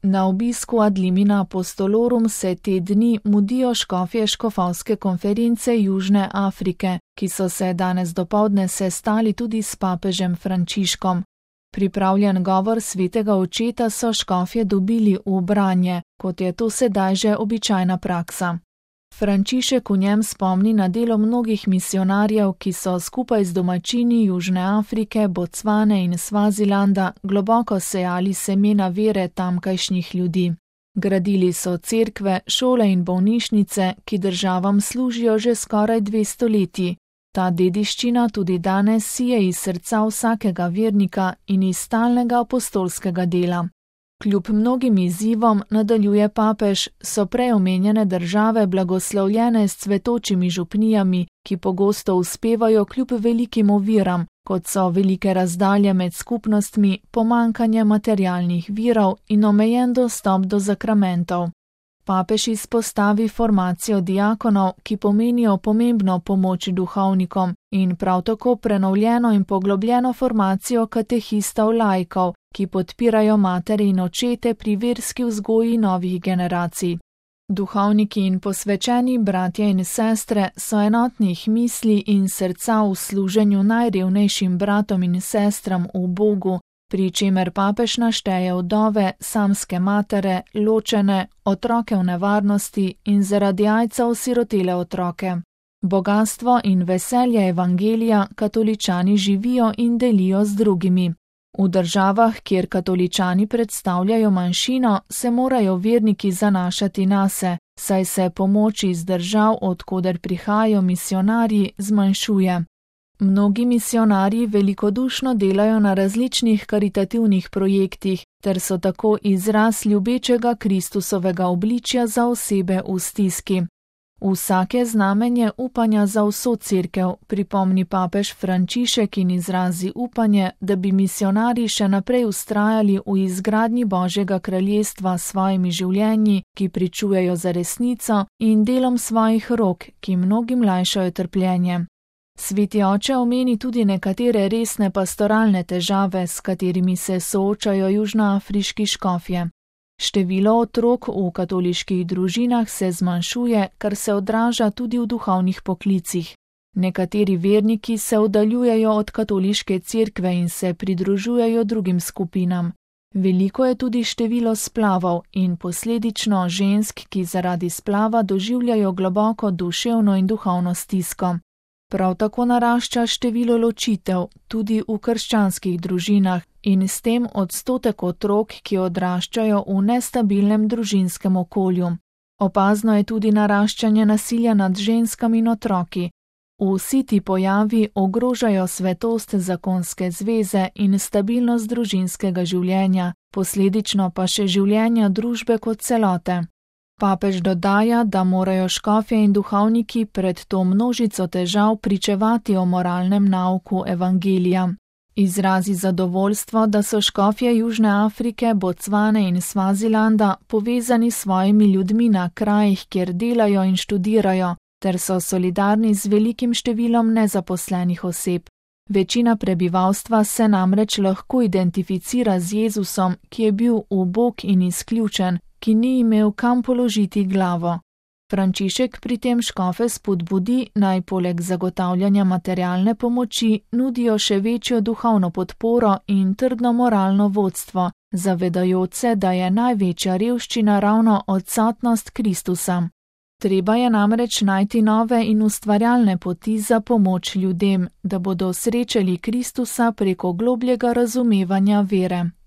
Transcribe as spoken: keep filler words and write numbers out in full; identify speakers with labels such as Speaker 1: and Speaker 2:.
Speaker 1: Na obisku Ad limina apostolorum se te dni mudijo škofje škofovske konference Južne Afrike, ki so se danes dopoldne sestali tudi s papežem Frančiškom. Pripravljen govor svetega očeta so škofje dobili v branje, kot je to sedaj že običajna praksa. Frančišek v njem spomni na delo mnogih misionarjev, ki so skupaj z domačini Južne Afrike, Bocvane in Svazilanda globoko sejali semena vere tamkajšnjih ljudi. Gradili so cerkve, šole in bolnišnice, ki državam služijo že skoraj dve stoletji. Ta dediščina tudi danes sije iz srca vsakega vernika in iz stalnega apostolskega dela. Kljub mnogim izzivom, nadaljuje papež, so prej omenjene države blagoslovljene s cvetočimi župnijami, ki pogosto uspevajo kljub velikim oviram, kot so velike razdalje med skupnostmi, pomanjkanje materialnih virov in omejen dostop do zakramentov. Papež izpostavi formacijo diakonov, ki pomenijo pomembno pomoč duhovnikom, in prav tako prenovljeno in poglobljeno formacijo katehistov laikov, ki podpirajo matere in očete pri verski vzgoji novih generacij. Duhovniki in posvečeni bratje in sestre so enotnih misli in srca v služenju najrevnejšim bratom in sestram v Bogu, pri čemer papež našteje vdove, samske matere, ločene, otroke v nevarnosti in zaradi AIDS-a osirotele otroke. Bogastvo in veselje evangelija katoličani živijo in delijo z drugimi. V državah, kjer katoličani predstavljajo manjšino, se morajo verniki zanašati nase, saj se pomoč iz držav, odkoder prihajajo misionarji, zmanjšuje. Mnogi misionarji velikodušno delajo na različnih karitativnih projektih, ter so tako izraz ljubečega Kristusovega obličja za osebe v stiski. Vsake znamenje upanja za vso cerkev, pripomni papež Frančišek in izrazi upanje, da bi misionarji še naprej vztrajali v izgradnji Božjega kraljestva s svojimi življenji, ki pričujejo za resnico, in delom svojih rok, ki mnogim lajšajo trpljenje. Sveti oče omeni tudi nekatere resne pastoralne težave, s katerimi se soočajo južnoafriški škofje. Število otrok v katoliških družinah se zmanjšuje, kar se odraža tudi v duhovnih poklicih. Nekateri verniki se oddaljujejo od katoliške cerkve in se pridružujejo drugim skupinam. Veliko je tudi število splavov in posledično žensk, ki zaradi splava doživljajo globoko duševno in duhovno stisko. Prav tako narašča število ločitev, tudi v krščanskih družinah, in s tem odstotek otrok, ki odraščajo v nestabilnem družinskem okolju. Opazno je tudi naraščanje nasilja nad ženskami in otroki. Vsi ti pojavi ogrožajo svetost zakonske zveze in stabilnost družinskega življenja, posledično pa še življenja družbe kot celote. Papež dodaja, da morajo škofje in duhovniki pred to množico težav pričevati o moralnem nauku evangelija. Izrazi zadovoljstvo, da so škofje Južne Afrike, Bocvane in Svazilanda povezani s svojimi ljudmi na krajih, kjer delajo in študirajo, ter so solidarni z velikim številom nezaposlenih oseb. Večina prebivalstva se namreč lahko identificira z Jezusom, ki je bil ubog in izključen, ki ni imel kam položiti glavo. Frančišek pri tem škofe spodbudi, naj poleg zagotavljanja materialne pomoči nudijo še večjo duhovno podporo in trdno moralno vodstvo, zavedajoč se, da je največja revščina ravno odsotnost Kristusa. Treba je namreč najti nove in ustvarjalne poti za pomoč ljudem, da bodo srečali Kristusa preko globljega razumevanja vere.